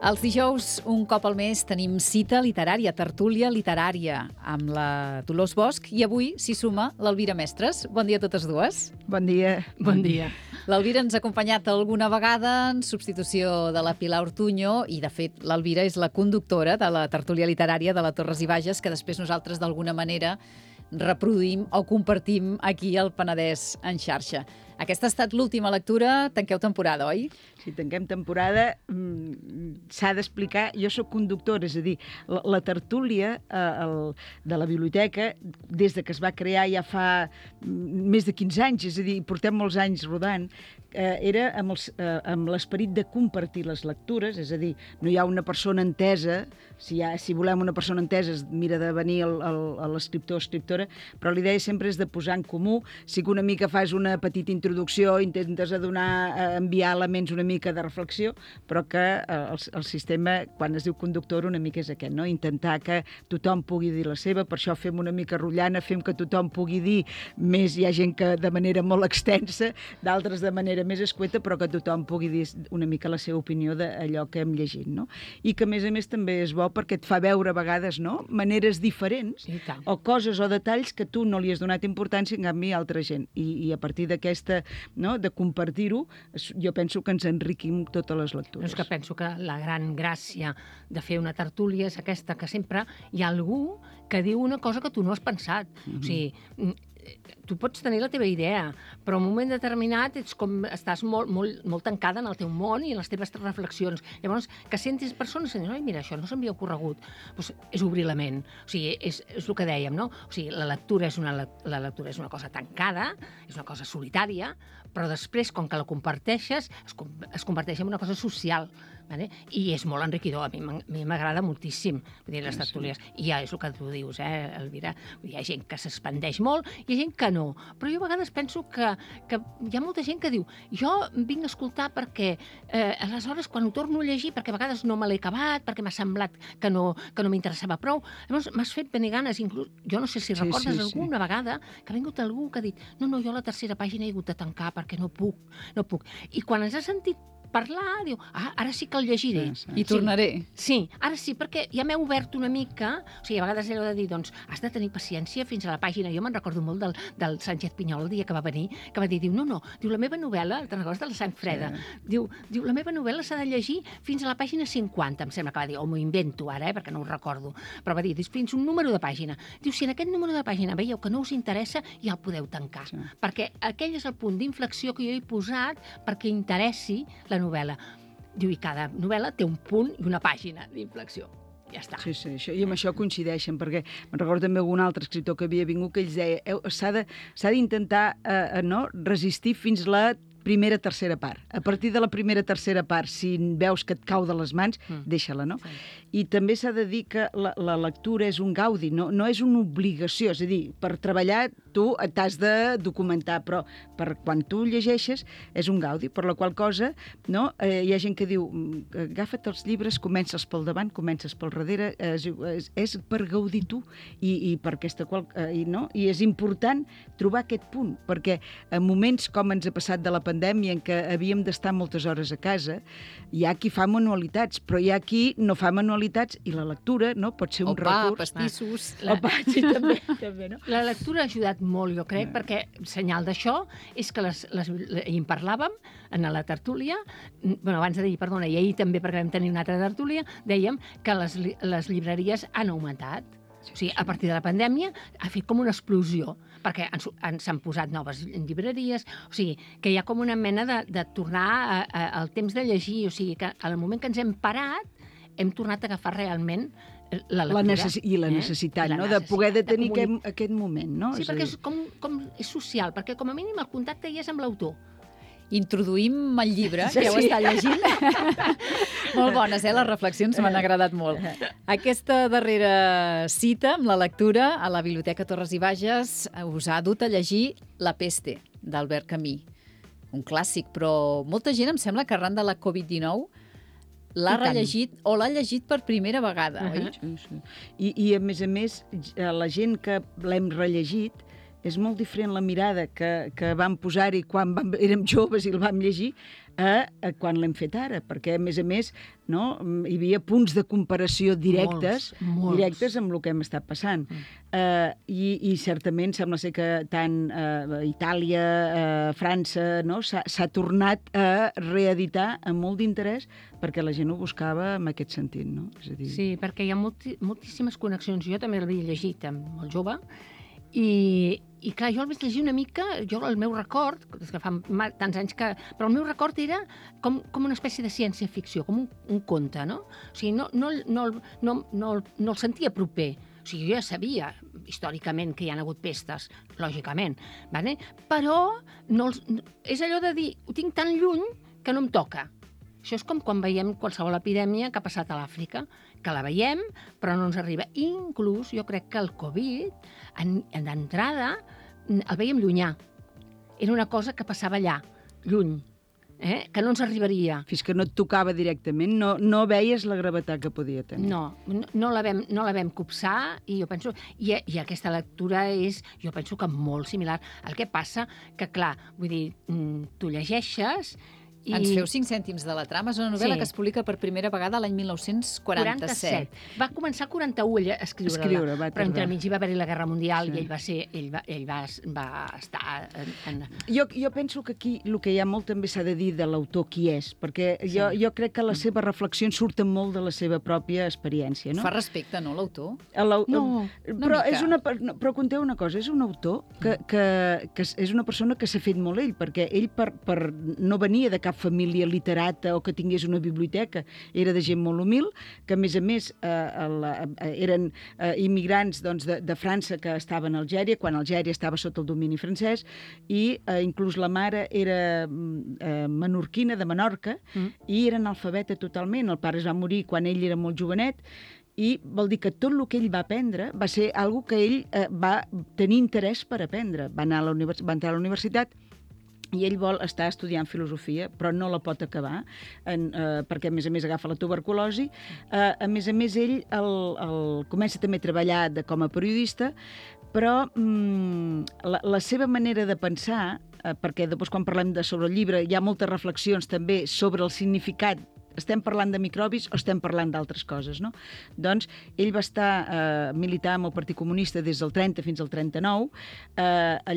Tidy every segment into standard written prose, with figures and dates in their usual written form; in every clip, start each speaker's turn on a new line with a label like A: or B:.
A: Els dijous, un cop al mes, tenim cita literària, tertúlia literària, amb la Dolors Bosch, i avui s'hi suma l'Elvira Mestres. Bon dia a totes dues.
B: Bon dia.
C: Bon dia.
A: L'Elvira ens ha acompanyat alguna vegada en substitució de la Pilar Ortuño i, de fet, l'Elvira és la conductora de la tertúlia literària de la Torres i Bages, que després nosaltres, d'alguna manera, reproduïm o compartim aquí al Penedès en xarxa. Aquesta ha estat l'última lectura. Tanqueu temporada, oi?
B: Si tanquem temporada, s'ha d'explicar... Jo sóc conductora, és a dir, la tertúlia de la biblioteca, des de que es va crear ja fa més de 15 anys, és a dir, portem molts anys rodant, era amb l'esperit de compartir les lectures, és a dir, no hi ha una persona entesa, si volem una persona entesa es mira de venir l'escriptor o escriptora, però l'idea sempre és de posar en comú. Sí que una mica fas una petita introducció, intentes enviar elements una mica de reflexió, però que el sistema, quan es diu conductor, una mica és aquest, no? Intentar que tothom pugui dir la seva, per això fem una mica rotllana, fem que tothom pugui dir més, hi ha gent que de manera molt extensa, d'altres de manera més escueta, però que tothom pugui dir una mica la seva opinió d'allò que hem llegit, no? I que, a més també és bo perquè et fa veure a vegades, no?, maneres diferents o coses o detalls que tu no li has donat importància, en canvi, a altra gent. I a partir d'aquesta, no?, de compartir-ho, jo penso que ens enriquim totes les lectures.
C: És que penso que la gran gràcia de fer una tertúlia és aquesta, que sempre hi ha algú que diu una cosa que tu no has pensat. O sigui, tu pots tenir la teva idea, però en un moment determinat estàs molt tancada en el teu món i en les teves reflexions. Llavors, que sentis persones que diuen, mira, això no s'havia ocorregut, doncs és obrir la ment. O sigui, és el que dèiem, no? O sigui, la lectura és una cosa tancada, és una cosa solitària, però després, com que la comparteixes, es converteix en una cosa social. Vale? I és molt enriquidor, a mi m'agrada moltíssim les tertúlies. I ja és el que tu dius, Elvira, hi ha gent que s'expandeix molt i hi ha gent que no, però jo a vegades penso que hi ha molta gent que diu, jo vinc a escoltar perquè aleshores quan ho torno a llegir, perquè a vegades no me l'he acabat, perquè m'ha semblat que no m'interessava prou, llavors m'has fet venir ganes, inclús, jo no sé si recordes alguna vegada que ha vingut algú que ha dit, no, jo a la tercera pàgina he hagut de tancar perquè no puc. I quan ens ha sentit parlar, diu, ara sí que el llegiré.
A: I tornaré.
C: Sí, ara sí, perquè ja m'he obert una mica, o sigui, a vegades allò de dir, doncs, has de tenir paciència fins a la pàgina. Jo me'n recordo molt del Sánchez Pinyol, el dia que va venir, que va dir, no, diu, la meva novel·la, te'n recordes de la Sang Freda? Diu, la meva novel·la s'ha de llegir fins a la pàgina 50, em sembla que va dir, o m'ho invento ara, perquè no ho recordo, però va dir, fins un número de pàgina. Diu, si en aquest número de pàgina veieu que no us interessa, ja el podeu tancar, perquè aquell és el punt d'inflexió que jo he posat perquè interessi la novel·la. Diu, i cada novel·la té un punt i una pàgina d'inflexió. Ja està.
B: Sí, i amb això coincideixen, perquè me'n recordo també algun altre escriptor que havia vingut que ells deia, s'ha d'intentar resistir fins la primera, tercera part. A partir de la primera, tercera part, si veus que et cau de les mans, deixa-la, no? Sí. I també s'ha de dir que la lectura és un gaudi, no és una obligació. És a dir, per treballar tu t'has de documentar, però quan tu llegeixes és un gaudi, per la qual cosa, no? Hi ha gent que diu, agafa't els llibres, comences pel davant, comences pel darrere, és per gaudir tu i per aquesta i és important trobar aquest punt, perquè en moments com ens ha passat de la pandèmia, en què havíem d'estar moltes hores a casa, hi ha qui fa manualitats, però hi ha qui no fa manualitats i la lectura, no, pot ser un recurs.
A: Pastissos.
B: Sí, també, no?
C: La lectura ha ajudat molt, jo crec, perquè senyal d'això és que i en parlàvem en la tertúlia, abans de dir, perdona, i ahir també, perquè vam tenir una altra tertúlia, dèiem que les llibreries han augmentat. O sigui, a partir de la pandèmia ha fet com una explosió, perquè s'han posat noves llibreries, o sigui, que hi ha com una mena de tornar al temps de llegir, o sigui, que al moment que ens hem parat, hem tornat a agafar realment la lectura.
B: I la necessitat, no?, de poder tenir aquest moment, no?
C: Sí, perquè és social, perquè com a mínim el contacte hi és amb l'autor.
A: Introduïm el llibre, que heu estat llegint. Molt bones, les reflexions m'han agradat molt. Aquesta darrera cita amb la lectura a la Biblioteca Torres i Bages us ha dut a llegir La peste, d'Albert Camus. Un clàssic, però molta gent em sembla que arran de la Covid-19 l'ha rellegit o l'ha llegit per primera vegada, oi?
B: Sí. I a més, la gent que l'hem rellegit és molt diferent la mirada que vam posar-hi quan érem joves i el vam llegir a quan l'hem fet ara, perquè, a més, no, hi havia punts de comparació directes amb el que hem estat passant. I certament sembla ser que tant Itàlia, França, no, s'ha tornat a reeditar amb molt d'interès perquè la gent ho buscava en aquest sentit. No? És a dir...
C: Sí, perquè hi ha moltíssimes connexions. Jo també l'havia llegit molt jove, i clar, jo el vaig llegir una mica, el meu record, és que fa tants anys que... Però el meu record era com una espècie de ciència-ficció, com un conte, no? O sigui, no el sentia proper. O sigui, jo ja sabia, històricament, que hi ha hagut pestes, lògicament, vale? Però és allò de dir, ho tinc tan lluny que no em toca. Això és com quan veiem qualsevol epidèmia que ha passat a l'Àfrica, que la veiem, però no ens arriba. Inclús, jo crec que el Covid, d'entrada, el veiem llunyà. Era una cosa que passava allà, lluny, que no ens arribaria.
B: Fins que no et tocava directament, no veies la gravetat que podia tenir.
C: No la vam copsar, i jo penso... I aquesta lectura és, jo penso que molt similar. El que passa que, clar, vull dir, tu llegeixes...
A: Ens feu 5 cèntims de la trama. És una novel·la que es publica per primera vegada l'any 1947.
C: Va començar al 41 a escriure-la, però entremig hi va haver-hi la Guerra Mundial i ell va estar...
B: Jo penso que aquí el que hi ha molt també s'ha de dir de l'autor qui és, perquè jo crec que les seves reflexions surten molt de la seva pròpia experiència. No?
A: Fa respecte, no, l'autor?
B: Però conteu una cosa, és un autor que és una persona que s'ha fet molt ell, perquè ell no venia de cap família literata o que tingués una biblioteca. Era de gent molt humil, que a més eren immigrants de França que estaven a Algèria, quan Algèria estava sota el domini francès, i inclús la mare era menorquina, de Menorca, i era analfabeta totalment. El pare es va morir quan ell era molt jovenet, i vol dir que tot el que ell va aprendre va ser algo que ell va tenir interès per aprendre. Va entrar a la universitat, i ell vol estar estudiant filosofia, però no la pot acabar, perquè, a més, agafa la tuberculosi. A més, ell comença també a treballar com a periodista, però la seva manera de pensar, perquè després quan parlem sobre el llibre hi ha moltes reflexions també sobre el significat. Estem parlant de microbis o estem parlant d'altres coses, no? Doncs ell va estar militant amb el Partit Comunista des del 30 fins al 39.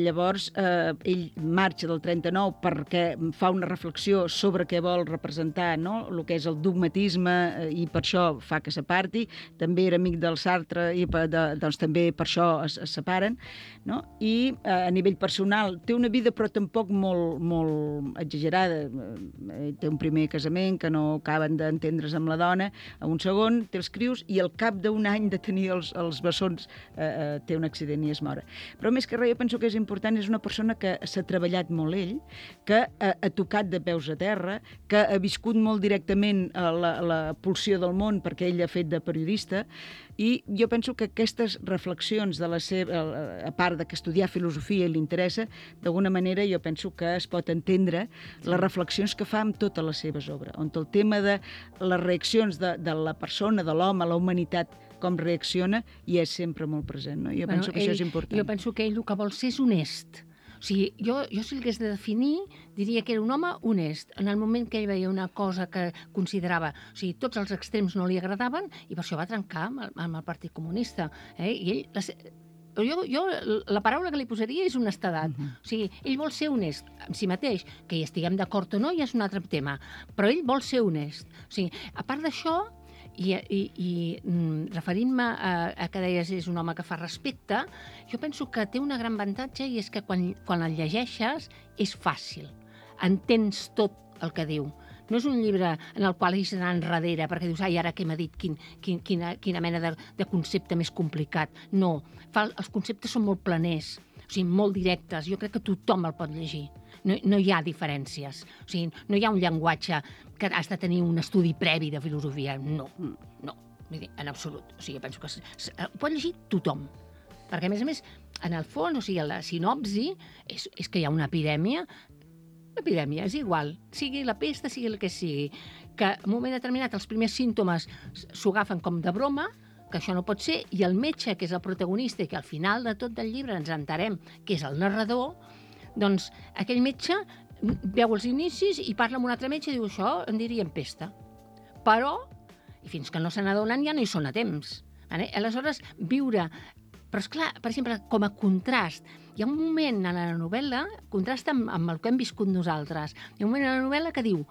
B: Llavors, ell marxa del 39 perquè fa una reflexió sobre què vol representar, no? El que és el dogmatisme, i per això fa que s'aparti. També era amic del Sartre i doncs també per això es separen, no? I a nivell personal té una vida però tampoc molt exagerada. Té un primer casament que no acaben d'entendre's amb la dona, a un segon té els crius i al cap d'un any de tenir els bessons té un accident i es mor. Però més que res, jo penso que és important, és una persona que s'ha treballat molt ell, que ha tocat de peus a terra, que ha viscut molt directament la pulsió del món perquè ell ha fet de periodista, i jo penso que aquestes reflexions de la seva, a part de que estudiar filosofia li interessa, d'alguna manera jo penso que es pot entendre les reflexions que fa amb totes les seves obres, on el tema de les reaccions de la persona, de l'home, la humanitat, com reacciona, i és sempre molt present. No? Jo penso que això és important.
C: Jo penso que ell el que vol ser és honest. O sigui, jo si l'hagués de definir, diria que era un home honest. En el moment que ell veia una cosa que considerava... O sigui, tots els extrems no li agradaven i per això va trencar amb el Partit Comunista. I ell... Jo la paraula que li posaria és honestedat. O sigui, ell vol ser honest amb si mateix. Que hi estiguem d'acord o no ja és un altre tema. Però ell vol ser honest. O sigui, a part d'això, i referint-me a que deies és un home que fa respecte, jo penso que té una gran avantatge i és que quan el llegeixes és fàcil. Entens tot el que diu. No és un llibre en el qual ells anar enrere perquè dius, ai, ara què m'ha dit, quina mena de concepte més complicat. No, els conceptes són molt planers, o sigui, molt directes. Jo crec que tothom el pot llegir. No hi ha diferències. O sigui, no hi ha un llenguatge que has de tenir un estudi previ de filosofia. No. Vull dir, en absolut. O sigui, penso que ho pot llegir tothom. Perquè, a més, en el fons, o sigui, la sinopsi és que hi ha una epidèmia. L'epidèmia és igual, sigui la pesta, sigui el que sigui, que en un moment determinat els primers símptomes s'ho agafen com de broma, que això no pot ser, i el metge, que és el protagonista, i que al final de tot el llibre ens enterem que és el narrador, doncs aquell metge veu els inicis i parla amb un altre metge i diu això en dirien pesta. Però, i fins que no se n'adonen ja no hi són a temps. Vale? Aleshores, viure... Però, esclar, per exemple, com a contrast, hi ha un moment a la novel·la, contrasta amb el que hem viscut nosaltres, hi ha un moment a la novel·la que diu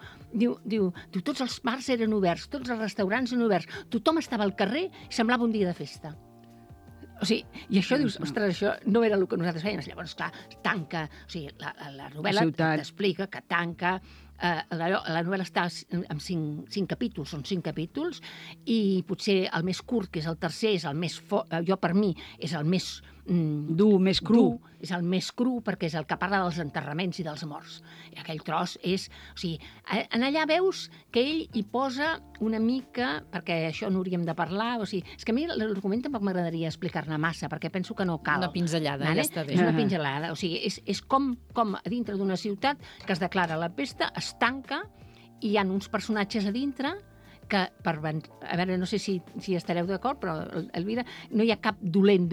C: tots els bars eren oberts, tots els restaurants eren oberts, tothom estava al carrer i semblava un dia de festa. O sigui, i això dius, ostres, això no era el que nosaltres fèiem. Llavors, clar, tanca, o sigui, la novel·la t'explica que tanca, la novel·la està en 5 capítols, són 5 capítols, i potser el més curt, que és el tercer, és el més jo per mi, és el més
B: dur, més cru.
C: És el més cru perquè és el que parla dels enterraments i dels morts. I aquell tros és... O sigui, en allà veus que ell hi posa una mica, perquè això no hauríem de parlar, o sigui, és que a mi l'argument tampoc m'agradaria explicar-ne massa, perquè penso que no cal.
A: Una pinzellada, ja està bé.
C: És una pinzellada, o sigui, és com a dintre d'una ciutat que es declara la pesta, es tanca, i hi ha uns personatges a dintre que, a veure, no sé si estareu d'acord, però, Elvira, no hi ha cap dolent,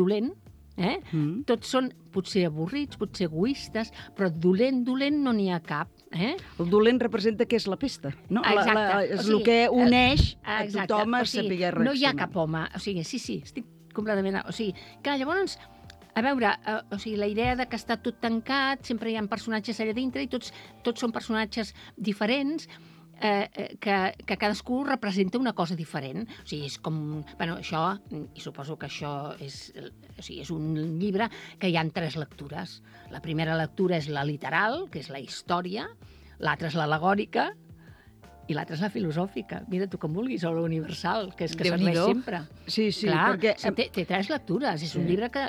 C: Tots són potser avorrits, potser egoistes, però dolent no n'hi ha cap.
B: El dolent representa que és la pesta, no?
C: Exacte.
B: És el que uneix a tothom a saber reaccionar.
C: No hi ha cap home. O sigui, sí, estic completament... O sigui, clar, llavors, a veure, o sigui, la idea de que està tot tancat, sempre hi ha personatges allà dintre i tots són personatges diferents, que cadascú representa una cosa diferent. O sigui, és com... Bueno, això, i suposo que això és un llibre que hi ha 3 lectures. La primera lectura és la literal, que és la història, l'altra és l'al·legòrica, i l'altra és la filosòfica. Mira, tu com vulguis, o la universal, que és que serveix sempre.
B: Sí,
C: clar,
B: perquè...
C: Té 3 lectures, és un llibre que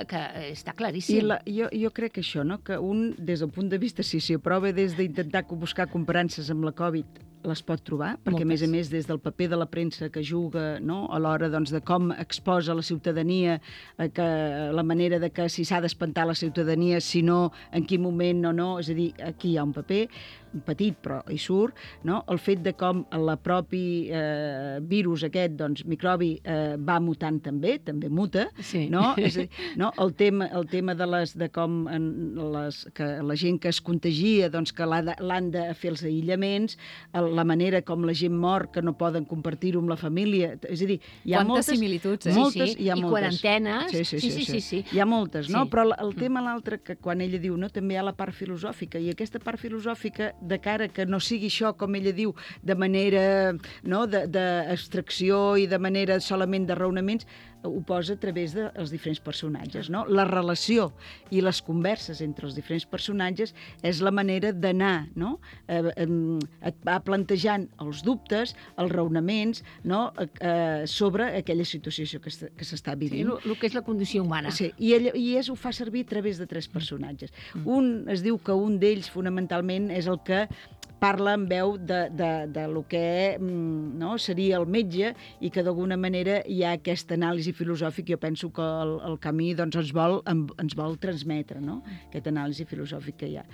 C: està claríssim.
B: Jo crec que això, no? Que un, des del punt de vista, si aprova des d'intentar buscar comparances amb la Covid, les pot trobar, perquè a més, des del paper de la premsa que juga, no? A l'hora de com exposa la ciutadania, que la manera de que si s'ha d'espantar la ciutadania, si no, en quin moment o no, és a dir, aquí hi ha un paper petit, però hi surt, no? El fet de com el propi virus aquest, microbi, va mutant també muta,
C: sí.
B: No? És a dir, no? El tema de com que la gent que es contagia, que l'han de fer els aïllaments, la manera com la gent mor, que no poden compartir-ho amb la família, és a dir, hi ha
A: quantes similituds,
C: moltes,
B: hi ha
C: i
B: moltes.
C: Quarantenes.
B: Sí. Hi ha moltes, no? Però el tema l'altre, que quan ella diu, no, també hi ha la part filosòfica, i aquesta part filosòfica, de cara que no sigui això, com ella diu, de manera, no?, d'extracció i de manera solament de raonaments, ho posa a través dels diferents personatges, no? La relació i les converses entre els diferents personatges és la manera d'anar, no? Et va plantejant els dubtes, els raonaments, no?, sobre aquella situació que s'està vivint.
C: Sí, el que és la condició humana.
B: Sí, i ho fa servir a través de 3 personatges. Un, es diu que un d'ells, fonamentalment, és el que parla en veu de lo que no, seria el metge, i que d'alguna manera hi ha aquesta anàlisi filosòfica. Jo penso que el Camí ens vol transmetre, no?, aquesta anàlisi filosòfica que hi ha.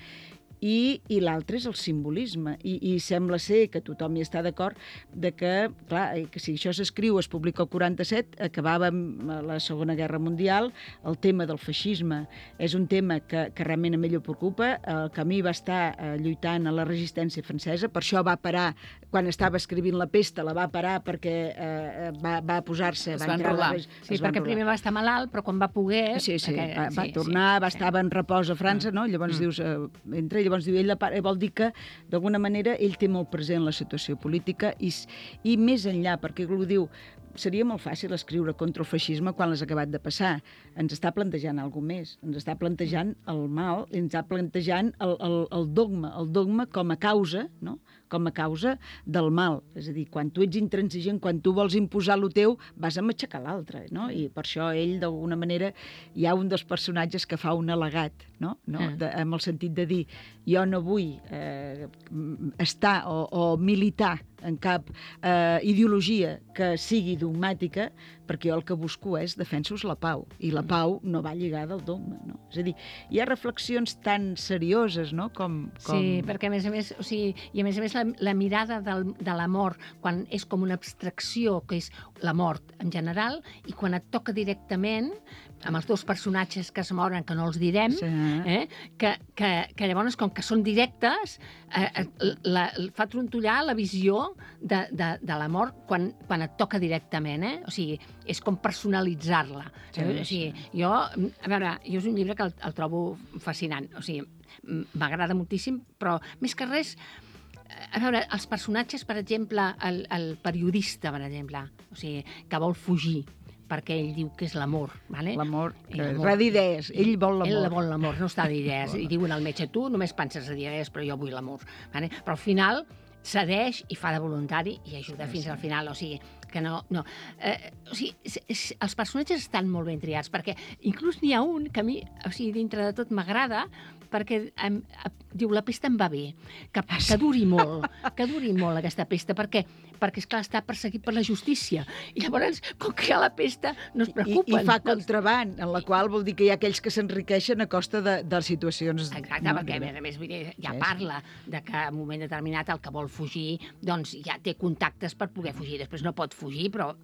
B: I l'altre és el simbolisme, i sembla ser que tothom hi està d'acord de que, clar, que si això s'escriu, es publica el 47, acabava amb la Segona Guerra Mundial, el tema del feixisme és un tema que realment a ell ho preocupa. El Camí va estar lluitant a la resistència francesa, per això va parar, quan estava escrivint La pesta, la va parar perquè va posar-se...
A: Es va enrolar.
C: Sí, perquè primer va estar malalt, però quan va poder...
B: Sí, va tornar, estava en repòs a França, no? Llavors dius, llavors diu, ell vol dir que d'alguna manera ell té molt present la situació política i més enllà, perquè ho diu, seria molt fàcil escriure contra el feixisme quan l'has acabat de passar. Ens està plantejant alguna més. Ens està plantejant el mal, ens està plantejant el dogma com a causa, no?, com a causa del mal. És a dir, quan tu ets intransigent, quan tu vols imposar lo teu, vas a matxacar l'altre, no? I per això ell, d'alguna manera, hi ha un dels personatges que fa un al·legat, no? Amb el sentit de dir, jo no vull estar o militar en cap ideologia que sigui dogmàtica, perquè jo el que busco és defensar-vos la pau, i la pau no va lligada al dogma, no? És a dir, hi ha reflexions tan serioses, no?, com...
C: Sí, perquè a més, o sigui, i a més la mirada de la mort, quan és com una abstracció, que és la mort en general, i quan et toca directament, amb els dos personatges que es moren, que no els direm, que llavors, com que són directes, fa trontollar la visió de la mort quan et toca directament, O sigui, és com personalitzar-la. O sigui, jo, a veure, jo és un llibre que el trobo fascinant, o sigui, m'agrada moltíssim, però més que res, a veure, els personatges, per exemple, el periodista, per exemple, o sigui, que vol fugir, perquè ell diu que és l'amor, ¿vale?
B: L'amor, va d'idees, ell vol l'amor.
C: Ell vol l'amor, no està d'idees. I diuen al metge, tu només penses a idees, però jo vull l'amor. ¿Vale? Però al final cedeix i fa de voluntari i ajuda fins al final, o sigui, que no. O sigui, els personatges estan molt ben triats, perquè inclús n'hi ha un que a mi, o sigui, dintre de tot m'agrada, perquè diu, la pesta em va bé, que duri molt aquesta pesta, perquè esclar, està perseguit per la justícia. I llavors, com que hi ha la pesta, no es preocupen.
B: I fa contraband, en la qual vol dir que hi ha aquells que s'enriqueixen a costa de situacions...
C: Exacte, perquè a més ja parla de que en un moment determinat el que vol fugir, doncs ja té contactes per poder fugir. Després no pot fugir, però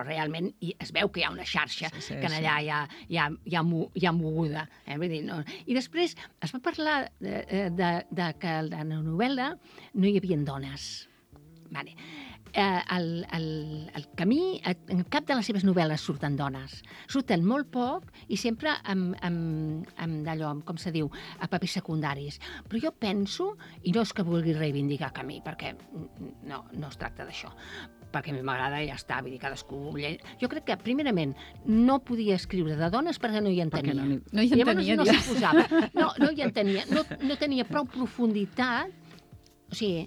C: realment es veu que hi ha una xarxa que allà hi ha moguda. Vull dir, no. I després es va parlar de que en la novel·la no hi havia dones. Vale. El Camí, en cap de les seves novel·les surten dones. Surten molt poc i sempre amb d'allò, com se diu, a papers secundaris. Però jo penso, i no és que vulgui reivindicar Camí, perquè no es tracta d'això, perquè a mi m'agrada i ja està, vull dir, cadascú... Jo crec que, primerament, no podia escriure de dones perquè no hi entenia.
A: No hi entenia.
C: No s'hi posava. No hi entenia. No tenia prou profunditat. O sigui,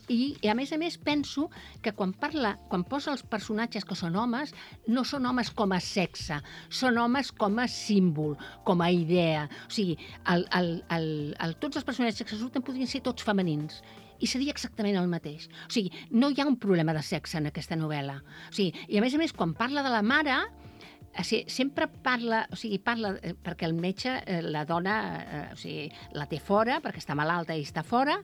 C: i a més penso que quan posa els personatges que són homes, no són homes com a sexe, són homes com a símbol, com a idea. O sigui, tots els personatges que surten podrien ser tots femenins, i seria exactament el mateix. O sigui, no hi ha un problema de sexe en aquesta novel·la. O sigui, i a més, quan parla de la mare, sempre parla, perquè el metge, la dona, la té fora, perquè està malalta i està fora,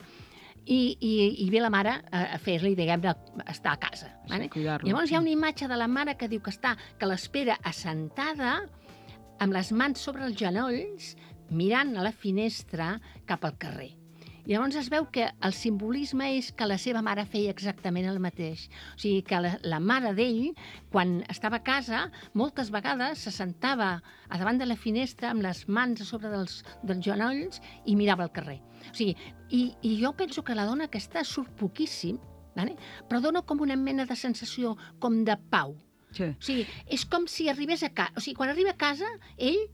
C: i ve la mare a fer-li, diguem-ne, estar a casa. Vale? Llavors hi ha una imatge de la mare que diu que l'espera assentada, amb les mans sobre els genolls, mirant a la finestra cap al carrer. Llavors es veu que el simbolisme és que la seva mare feia exactament el mateix. O sigui, que la mare d'ell, quan estava a casa, moltes vegades se sentava a davant de la finestra amb les mans a sobre dels genolls i mirava al carrer. O sigui, i jo penso que la dona aquesta surt poquíssim, però dona com una mena de sensació com de pau.
B: Sí.
C: O sigui, és com si arribés a casa. O sigui, quan arriba a casa, ell...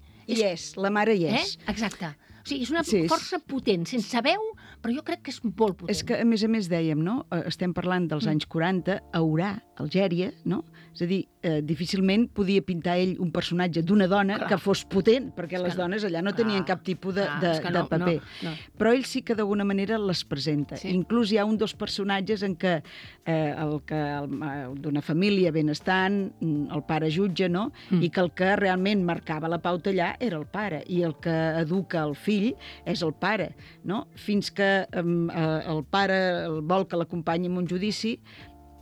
B: la mare hi és.
C: Exacte. O sigui, és una força potent, sense veu, però jo crec que és molt potent.
B: És que, a més dèiem, no? Estem parlant dels anys 40, a Orà, Algèria, no? És a dir, difícilment podia pintar ell un personatge d'una dona que fos potent, perquè les dones allà no tenien cap tipus de paper.
C: No.
B: Però ell sí que d'alguna manera les presenta. Sí. Inclús hi ha un dels personatges en què d'una família benestant, el pare jutge, no? I que el que realment marcava la pauta allà era el pare, i el que educa el fill és el pare, no? Fins que el pare vol que l'acompanyi en un judici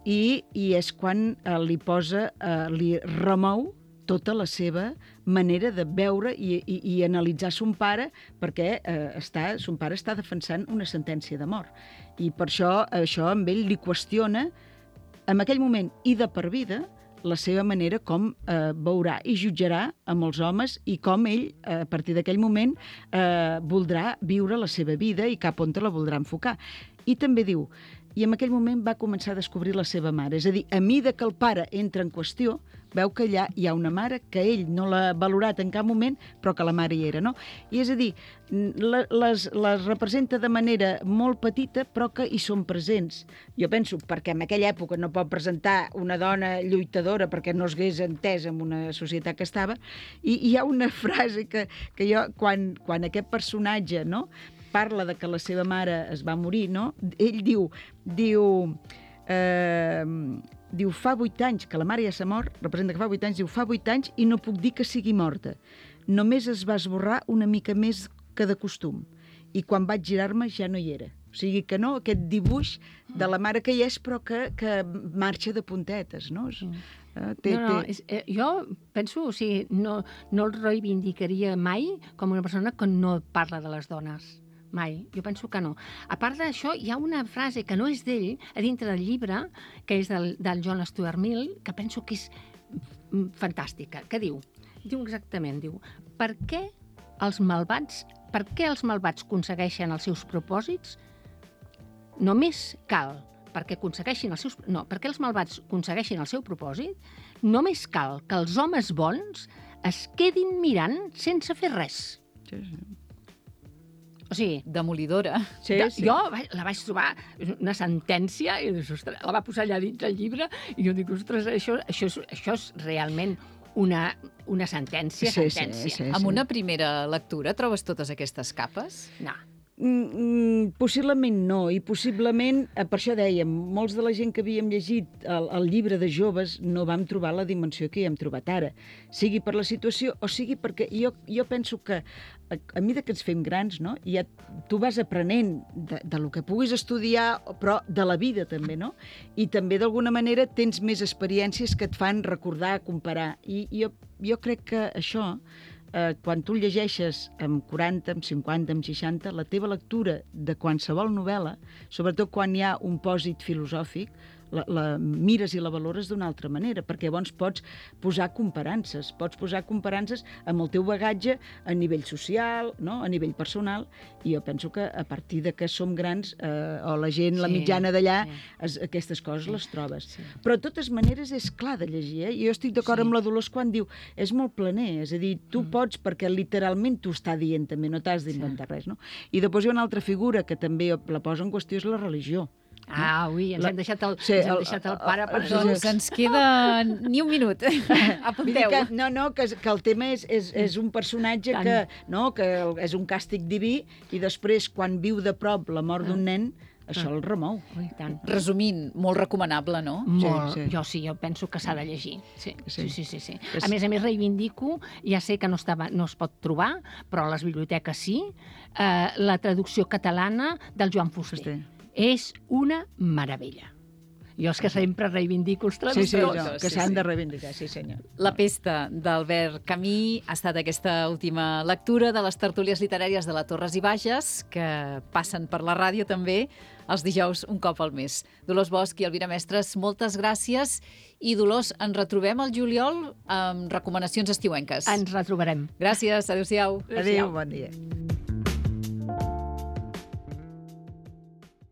B: i és quan li remou tota la seva manera de veure i analitzar son pare, perquè son pare està defensant una sentència de mort. I per això amb ell li qüestiona, en aquell moment i de per vida, la seva manera com veurà i jutjarà amb els homes i com ell, a partir d'aquell moment, voldrà viure la seva vida i cap on la voldrà enfocar. I també diu, i en aquell moment va començar a descobrir la seva mare. És a dir, a mida que el pare entra en qüestió, veu que allà hi ha una mare que ell no l'ha valorat en cap moment, però que la mare hi era, no? I és a dir, les representa de manera molt petita, però que hi són presents. Jo penso, perquè en aquella època no pot presentar una dona lluitadora perquè no es hagués entès en una societat que estava, i hi ha una frase que jo, quan aquest personatge, no?, parla de que la seva mare es va morir, no? Ell diu diu, fa 8 anys que la mare ja s'ha mort, representa que fa 8 anys, diu, fa 8 anys i no puc dir que sigui morta. Només es va esborrar una mica més que de costum. I quan vaig girar-me ja no hi era. O sigui que no, aquest dibuix de la mare que hi és, però que marxa de puntetes, no?
C: Jo penso, o sigui, no el reivindicaria mai com una persona que no parla de les dones. Mai. Jo penso que no. A part d'això, hi ha una frase que no és d'ell, a dintre del llibre, que és del John Stuart Mill, que penso que és fantàstica, que diu exactament, per què els malvats aconsegueixen els seus propòsits? Només cal, perquè els malvats aconsegueixin el seu propòsit, només cal que els homes bons es quedin mirant sense fer res.
B: Sí.
A: O sigui, demolidora.
B: Sí.
C: Jo la vaig trobar una sentència i ostres, la va posar allà dins el llibre i jo dic, ostres, això és realment una sentència.
B: Sí.
A: Amb una primera lectura trobes totes aquestes capes?
C: No.
B: Possiblement no, i possiblement, per això dèiem, molts de la gent que havíem llegit el llibre de joves no vam trobar la dimensió que hi hem trobat ara, sigui per la situació o sigui perquè jo penso que a mesura que ens fem grans, no? Ja tu vas aprenent de lo que puguis estudiar, però de la vida també, no? I també d'alguna manera tens més experiències que et fan recordar, comparar, i jo crec que això, quan tu llegeixes amb 40, amb 50, amb 60, la teva lectura de qualsevol novel·la, sobretot quan hi ha un pòsit filosòfic, la mires i la valores d'una altra manera, perquè llavors pots posar comparances amb el teu bagatge a nivell social, no? A nivell personal, i jo penso que a partir de que som grans, o la gent, la mitjana d'allà, aquestes coses les trobes.
C: Sí.
B: Però de totes maneres és clar de llegir, eh? Jo estic d'acord amb la Dolors quan diu és molt planer, és a dir, tu pots perquè literalment t'ho està dient també, no t'has d'inventar res, no? I després hi ha una altra figura que també la posa en qüestió, és la religió.
C: Ui, ens hem deixat el pare per...
A: Doncs ens queda ni un minut. Apunteu.
B: Que el tema és un personatge que és un càstig diví i després, quan viu de prop la mort d'un nen, això el remou.
C: Tant.
A: Resumint, molt recomanable, no?
C: Molt.
B: Sí.
C: Jo penso que s'ha de llegir. Sí. A més, reivindico, ja sé que no es pot trobar, però a les biblioteques sí, la traducció catalana del Joan Fuster. És una meravella. Jo és que sempre reivindico els traductors.
B: Que s'han de reivindicar, sí senyor.
A: La pesta d'Albert Camus ha estat aquesta última lectura de les tertúlies literàries de la Torres i Bages, que passen per la ràdio també els dijous un cop al mes. Dolors Bosch i Elvira Mestres, moltes gràcies. I Dolors, ens retrobem al juliol amb recomanacions estiuenques.
C: Ens retrobarem.
A: Gràcies, adéu-siau.
B: Adéu, bon dia.